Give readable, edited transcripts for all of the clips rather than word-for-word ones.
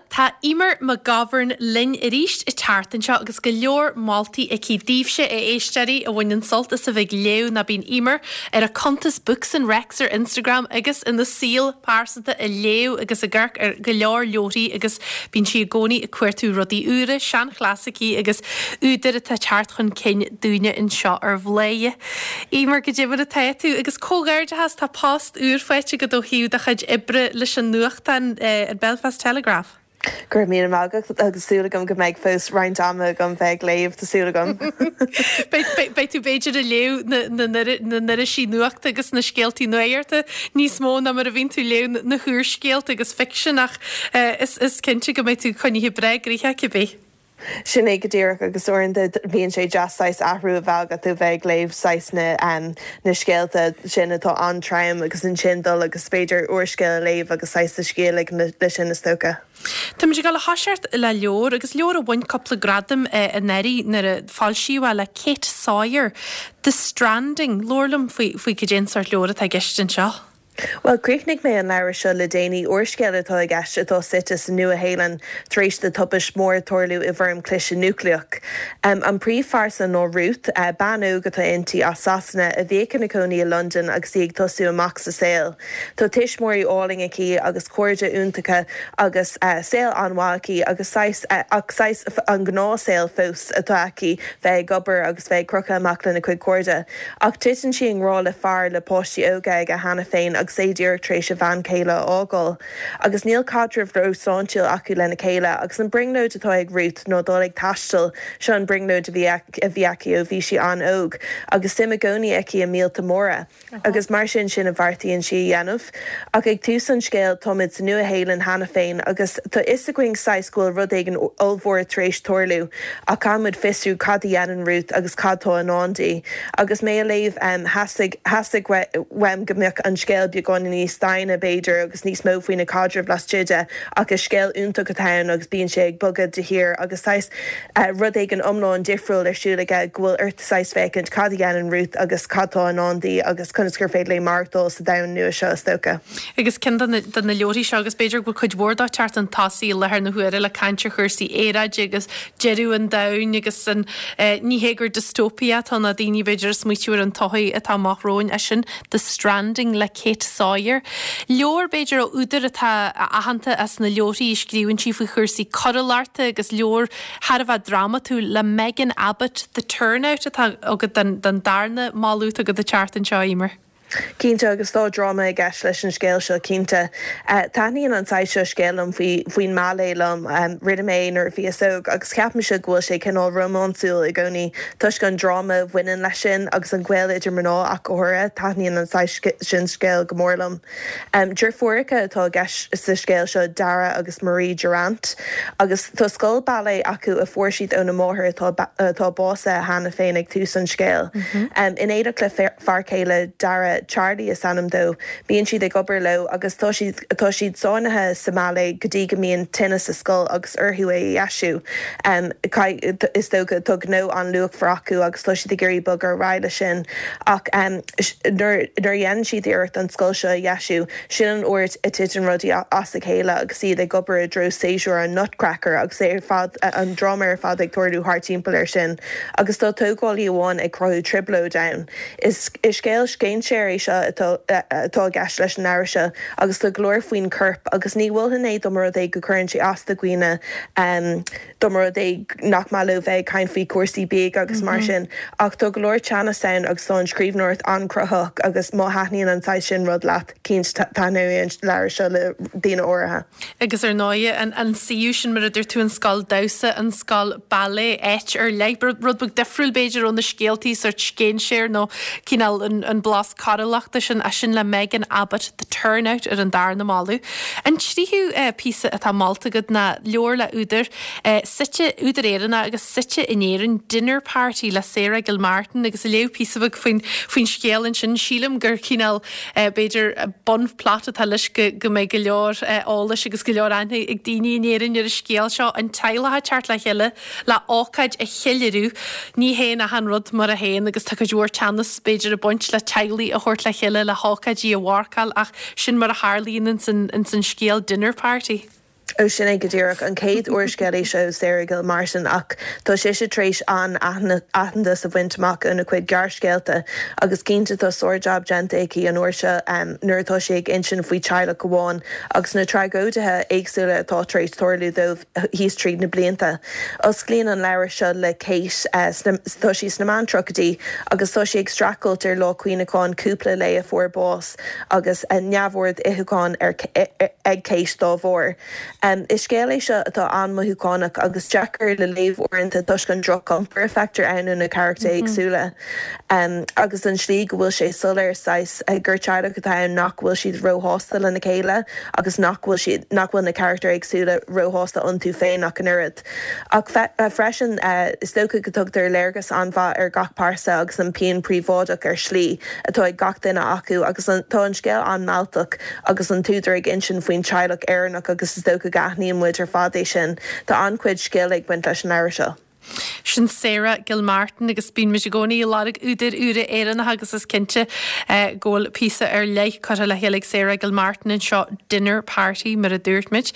tá Eimear McGovern linn arís an tseachtain seo agus go leor moltaí aici daoibhse, a éisteoirí, a bhaineann sult as a bheith ag léamh nó bíonn Eimear ar a cuntas Books and Recs ar Instagram agus ina saol pearsanta ag léamh agus ag amharc ar go leor leabharthaí agus bíonn sí i gcónaí ag cuartú rudaí úra, seanchlasaicí agus údair atá ag teacht chun cinn dúinne anseo ar Bhladhaire. Eimear, goidé mar atá tú agus comhghairdeachas, tá post úr faighte agat ó thaobh do chuid oibre leis an nuachtán, an Belfast Telegraph. Go raibh míle maith agat agus súil agam go mbeidh fós roinnt ama agam bheith ag léamh, tá súil agam. Beidh tú b'fhéidir ag léamh na n-irisí nuachta agus na scéaltaí nuachta níos mó ná mar a bhíonn tú ag léamh na húrscéalta agus ficsean ach is cinnte go mbeidh tú coinnithe breá gnoitheach cibé. Sin é go díreach agus uaireanta bíonn sé deas saghas athrú a bheith agat ó bheith ag léamh saghas na na scéalta sin atá an-trom agus ansin dul agus b'fhéidir úrscéal a léamh agus saghas do scíth a ligean leis sin is dócha. Táimid ag dul a thoiseacht le leabhar agus leabhar a bhain cúpla gradam anuraidh nuair a foilsíodh é le Kate Sawyer, The Stranding. Labhair liom faoi faoi cad é an sórt leabhar atá i gceist anseo. Bhuel, chríochnaigh mé an leabhar seo le déanaí, úrscéal atá i gceist atá suite sa Nua-Shéalainn tar éis do tubaist mhór tarlú i bhfoirm cliseadh núicléach. An príomhphearsa ná Ruth, bean óg atá inti as Sasana a bhíodh ina cónaí i Londain agus í ag tosú amach sa saol. Tá tuismitheoirí álainn aici agus cairde iontacha agus saol an-mhaith aici agus saghas, ach saghas an gnáthshaol fós atá aici, bheith ag obair agus bheith ag crochadh amach lena cuid cairde. Ach titeann sí i ngrá le fear le páistí óga aige cheana féin agus é díreach tar éis a bhean chéile a fhágáil. Agus níl caidreamh róshláintiúil acu lena chéile agus an brionglóid atá ag Ruth ná dul ag taisteal, seo an brionglóid a bhí a bhí aici ó bhí sí an-óg agus suim i gcónaí aici i míolta móra. Agus mar sin sin a bheartaíonn sí a dhéanamh. Ach ag tús an scéil táimid sa Nua-Shéalainn cheana féin agus tá fhios againn saghas go bhfuil rud éigin ollmhór tar éis tarlú ach caithfidh muid fiosrú cad a dhéanann Ruth agus cad tá i ndán di. Agus mé a léamh theastaigh theastaigh uaim go mbeadh an scéal beagáinín níos doimhne b'fhéidir agus níos mó faoi na caidrimh laistigh de ach is scéal iontach atá ann agus bíonn sé ag bogadh de shíor agus saghas rud éigin iomlán difriúil ar siúl aige go bhfuil ort saghas féachaint cad a dhéanann Ruth agus cad tá i ndán di agus conas gur féidir léi maireachtáil sa domhan nua seo, is dócha. Agus ceann de na de na leabharthaí seo, agus b'fhéidir go bhfuil cuid mhór dó ag teacht chun tosaigh i láthair na huaire le caint ar chúrsaí aeráide agus deireadh an domhain agus an ní hé gur dystopia atá ann ná daoine b'fhéidir ag smaoitiú ar an todhchaí atá amach romhainn, é sin The Stranding le Kate Sawyer. Leabhar, b'fhéidir, ó údar atá aitheanta as na leabharthaí a scríobhann sí faoi chúrsaí coiriúlachta agus leabhar thar a bheith drámatúil le Megan Abbott, The Turnout atá agat don darna moladh atá agat an tseachtain seo, Eimear. Cinnte, agus tá dráma i gceist leis an scéal seo, cinnte. Taitníonn an saghas seo scéil liom faoi, faoin mbailé liom. Rinne mé é nuair a bhíos óg agus ceapaimse go bhfuil sé cineál rómánsúil i gcónaí toisc an dráma a bhaineann leis sin agus an gaol idir mná ach go háirithe. Taitníonn an saghas sin scéil go mór liom. Deirfiúracha atá i gceist sa scéal seo, Dara agus Marie Durant, agus tá scoil ballet acu a fuair siad óna máthair atá atá básaithe cheana féin ag tús an scéil. In éineacht le fear céile Dara, Charlie is ainm dó, bíonn siad ag obair leo agus tá siad tá siad sáinnithe sa mballet go dtí go mbíonn tine sa scoil agus orthu é a dheisiú. Is dócha tá gnó an-luachmhar acu agus tá siad ag iarraidh bogadh ar aghaidh leis sin ach nuair a dhéanann siad iarracht an scoil seo a dheisiú, sin an uair a titeann rudaí as a chéile agus iad ag obair i dtreo séasúr an Nutcracker agus é ar fad, an dráma ar fad ag tarlú thart timpeall air sin. Agus tá tógálaí amháin ag cruthú trioblóid ann. Is scéal scéinséir é seo atá atá i gceist leis an leabhar seo agus tá go leor faoin chorp agus ní mholfainn é dá mba rud é go gcuireann sé as do dhaoine. Dá mba rud é nach maith leo bheith ag caint faoi chúrsaí bídh agus mar sin. Ach tá go leor teannas ann agus tá an scríbhneoireacht an-chruthaitheach agus má thaitníonn an saghas sin rud leat, cinnte taitneoidh an leabhar seo le daoine áirithe. Agus ar ndóigh, an suíomh sin, mar a dúirt tú, an scoil damhsa, an scoil ballet, áit ar leith, rud beag difriúil b'fhéidir ó na scéaltaí sórt scéinséir nó cineál an blas coiriúlachta sin, é sin le Megan Abbott, The Turnout ar an darna moladh. An tríú píosa atá molta agat ná leabhar le údar suite, údar Éireannach agus suite in Éirinn, Dinner Party le Sarah Gilmartin agus léadh píosa beag faoin, faoin scéal ansin. Sílim gur cineál b'fhéidir bunphlot atá leis go, go mbeidh go leor eolais agus go leor aithne ag daoine in Éirinn ar an scéal seo, an teaghlach ag teacht le chéile le hócáid a cheiliúradh. Ní théann achan rud mar a théann agus tá cuid mhór teannas b'fhéidir ag baint le teaghlaigh a thabhairt le chéile le hócáidí a mharcáil ach sin mar a tharlaíonn ins an, ins an scéal Dinner Party. Ó sin é go díreach. An chéad úrscéal é seo ó Sarah Gilmartin ach tá sise tar éis an-aitheantas a bhaint amach óna cuid gearrscéalta agus cinnte tá sár-jab déanta aici an uair seo nuair atá sí ag insint faoi teaghlach amháin agus na tragóidithe éagsúla atá tar éis tarlú dóibh thíos tríd na blianta. Osclaíonn an leabhar seo le Kate, tá sí sna meán-tríochaidí agus tá sí ag streachailt ar lá cuimhneacháin cúpla léi a fuair bás. agus neamhord itheacháin ag Kate dá bharr. Is scéal é seo atá an-mothúchánach agus deacair le léamh uaireanta toisc an droch-iompar a feictear ann ó na carachtair éagsúla agus an slí go bhfuil sé soiléir saghas gur teaghlach atá ann nach bhfuil siad róshásta lena chéile agus nach bhfuil siad nach bhfuil na carachtair éagsúla róshásta iontu féin ach an oiread. Ach freisin, is dócha go dtugtar léargas an-mhaith ar gach pearsa agus an pian príobháideach ar shlí atá ag gach duine acu agus tá an scéal an-mealltach agus an t-údar ag insint faoin teaghlach Éireannach agus is dócha go aithníonn muid ar fad é sin. Tá an-chuid scil ag baint leis an leabhar seo. Sin Sarah Gilmartin agus bíonn muid i gcónaí ag lorg údair úra Éireannacha agus is cinnte go bhfuil píosa ar leith curtha le chéile ag Sarah Gilmartin anseo, Dinner Party mar a dúirt muid.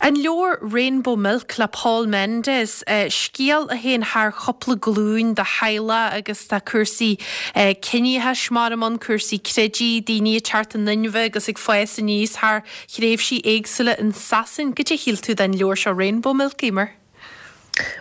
An leabhar Rainbow Milk le Paul Mendez, scéal a théann thar chúpla glúin de theaghlach agus tá cúrsaí ciníochais mar ann, cúrsaí creidimh, daoine ag teacht in inmhe agus ag fás aníos thar thréimhsí éagsúla in Sasain. Goidé a shíl tú den leabhar seo Rainbow Milk, Eimear?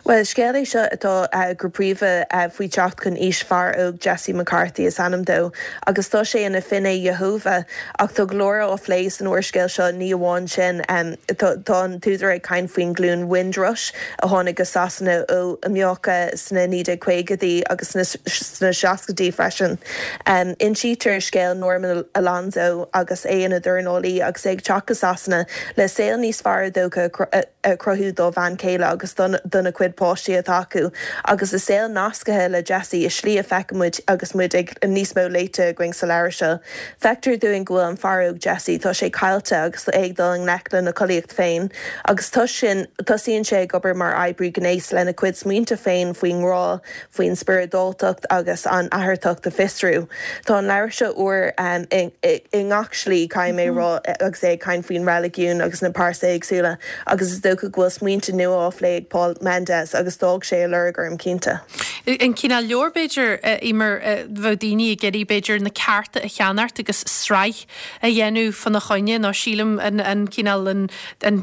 Bhuel, is scéal é seo atá go príomha faoi teacht chun aois fear óg, Jesse McCarthy is ainm dó, agus tá sé ina Fhinné Iehova. Ach tá go leor á phlé san úrscéal seo, ní amháin sin, tá an t-údar ag caint faoin ghlúin Windrush a tháinig go Sasana ó Mheiriceá sna 1950idí agus sna 60idí freisin. Insítear scéal Norman Alonzo agus é ina dhornálaí agus é ag teacht go Sasana le saol níos fearr is dócha a a chruthú dá bhean chéile agus dona cuid páistí atá acu, agus a saol nascaithe le Jesse i slí a feiceann muid agus muid ag níos mó léite againn sa leabhar seo. Feictear dúinn go bhfuil an fear óg Jesse, tá sé caillte agus é ag dul i ngleic lena chollaíocht féin, agus toisc sin, tosaíonn sé ag obair mar oibrí gnéis lena chuid smaointe féin faoin ngrá, faoin spioradáltacht agus an atharthacht a fiosrú. Tá an leabhar seo úr i ngach slí, caithfidh mé a rá, agus é ag caint faoin reiligiún agus na pearsa éagsúla agus is dócha go bhfuil smaointe nua á phlé ag Paul Mendez agus d'fhág sé a lorg orm cinnte. An cineál leabhar, b'fhéidir, Eimear, bheadh daoine ag iarraidh, b'fhéidir, na cearta a cheannacht agus sraith a dhéanamh fána choinne nó sílim an cineál an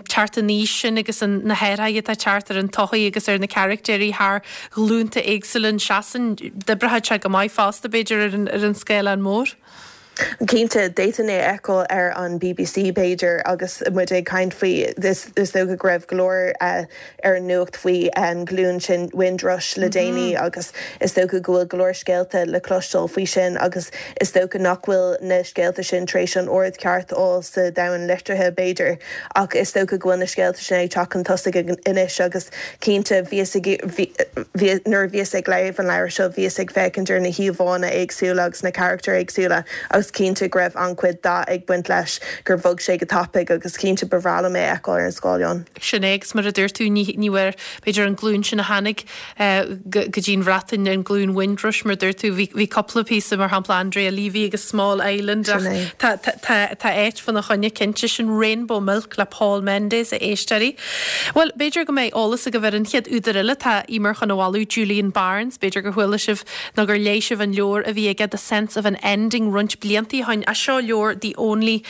teacht in aois sin agus na hathruithe atá ag teacht ar an tsochaí agus ar na caractéirí thar ghlúnta éagsúla in Sasain, d'oibreodh sé go maith fosta b'fhéidir ar an scáileán mór. Cinnte, d'fhéadfainn é a fheiceáil ar an bbc b'fhéidir agus muid ag caint faoi, is dócha go raibh go leor ar an nuacht faoi an ghlúin sin Windrush le déanaí agus is dócha go bhfuil go leor scéalta le cloisteáil faoi sin agus is dócha nach bhfuil na scéalta sin tar éis an aird cheart a fháil sa domhan liteartha b'fhéidir ach is dócha go bhfuil na scéalta sin ag teacht chun tosaigh anois agus cinnte bhíos ag bhí nuair a bhíos ag léamh an leabhair seo bhíos ag féachaint ar na híomhánna éagsúla agus na carachtair éagsúla agus cinnte go raibh an-chuid dath ag baint leis gur bhog sé go tapaidh agus cinnte ba bhreá liom é a fheiceáil ar an scáileán. Sin é agus mar a dúirt tú ní ní bhfuair b'fhéidir an glúin sin a tháinig go dtí an Bhreatain, an glúin Windrush mar a dúirt tú, bhí bhí cúpla píosa mar shampla Andrea Levy agus Small Island ach Sin é. tá tá tá tá áit fána choinne cinnte sin Rainbow Milk le Paul Mendez a éisteoirí. Bhuel b'fhéidir go mbeidh eolas agaibh ar an chéad údar eile atá Eimear chun a mholadh, Julian Barnes, b'fhéidir gur chuala sibh nó gur léigh sibh an leabhar a bhí aige The Sense of an Ending roinnt blianta ó shin. Ach seo leabhar The Only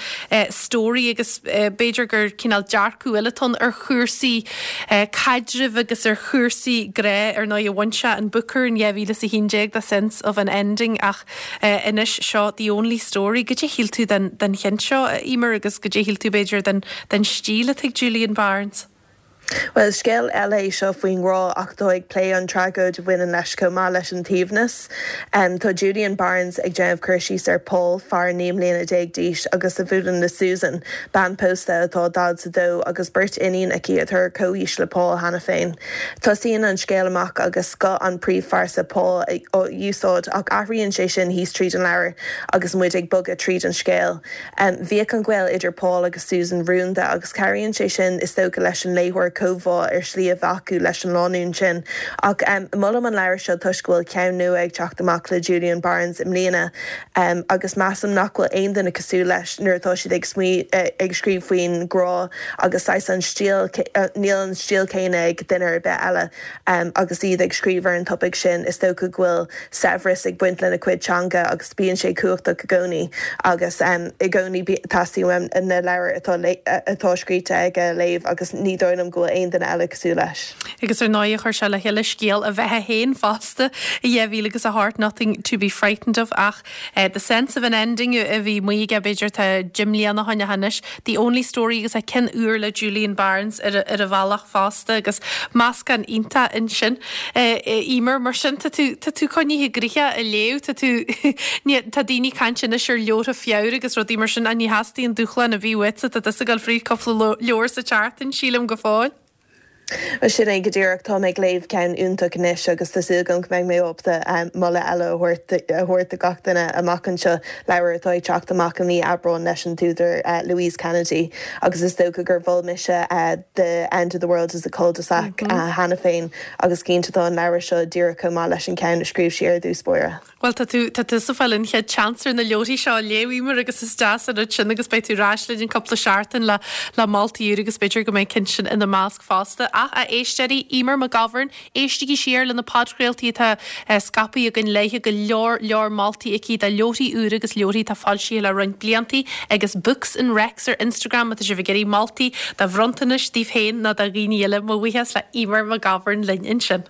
Story agus b'fhéidir gur cineál dearcadh eile atá ann ar chúrsaí caidrimh agus ar chúrsaí grá. Ar ndóigh, bhain sé an Booker in 2011 The Sense of an Ending ach anois seo The Only Story. Goidé a shíl tú den den cheann seo, a Eimear, agus goidé a shíl tú b'fhéidir den den stíl atá ag Julian Barnes? Bhuel, is scéal eile é seo faoin ngrá ach atá ag plé an tragóid a bhaineann leis chomh maith leis an t-aoibhneas. Tá Julian Barnes ag déanamh cur síos ar Paul, fear 19 mbliana d'aois agus a bhuaileann le Susan, bean pósta atá 42 agus beirt iníon aici atá ar comhaois le Paul cheana féin. Tosaíonn an scéal amach agus guth an príomhphearsa Paul á úsáid ach athraíonn sé sin thíos tríd an leabhar agus muid ag bogadh tríd an scéal. Bhíodh an gaol idir Paul agus Susan rúnda agus cabhraíonn sé sin is dócha leis an léitheoir. comhbhá ar shlí a bheith acu leis an lánúin sin. Ach molaim an leabhar seo toisc go bhfuil ceann nua ag teacht amach le Julian Barnes i mbliana agus measaim nach bhfuil aon duine cosúil leis nuair atá siad ag ag scríobh faoin ngrá agus saghas an stíl, níl an stíl céanna ag duine ar bith eile agus iad ag scríobh ar an topaic sin. Is dócha go bhfuil saibhreas ag baint lena cuid teanga agus bíonn sé cumhachtach i gcónaí agus i gcónaí teastaíonn uaim na leabhair atá atá scríte aige a léamh agus ní dóigh liom go bhfuil aon duine eile cosúil leis. Agus ar ndóigh chuir sé le chéile scéal a bheatha féin fosta i 2008 Nothing to be Frightened of ach The Sense of an Ending a bhí amuigh aige b'fhéidir tá 10 mbliana ó shin anois The Only Story agus é ceann úr le Julian Barnes ar ar a bhealach fosta agus meascán iontach ansin. Eimear, mar sin tá tú, tá tú coinnithe gnoitheach ag léamh, tá tú, ní, tá daoine ag caint anois ar leabhartha Feabhra agus rudaí mar sin ach ní theastaíonn dúshlán ar bith uaitse, tá tusa ag dul fríd cúpla leabhar sa tseachtain, sílim, go fóill. Bhuel sin é go díreach, táim ag léamh ceann iontach anois agus tá súil agam go mbeidh mé ábalta moladh eile a thabhairt a thabhairt do gach duine amach anseo, leabhar atá ag teacht amach i mí Aibreáin leis an t-údar Louise Kennedy agus is dócha gur mhol mise The End of the World is a Cul-de-sac cheana féin agus cinnte tá an leabhar seo díreach chomh maith leis an ceann a scríobh sí ar dtús báire. Bhuel, tá tú, tá tusa ag fáil an chéad chance ar na leabharthaí seo a léamh, Eimear, agus is deas an rud sin agus beidh tú ar ais linn in cúpla seachtain le, le moltaí úra agus b'fhéidir go mbeidh ceann sin ina measc fosta. Ach, a éisteoirí, Eimear McGovern, éistigí siar le na podchraoltaí atá scaipthe againn léithe, go leor, leor moltaí aici do leabharthaí úra agus leabharthaí atá foilsithe le roinnt bliantaí agus Books and Recs ar Instagram má tá sibh ag iarraidh moltaí do bhronntanais daoibh féin nó do dhaoine eile. Mo bhuíochas le Eimear McGovern linn ansin.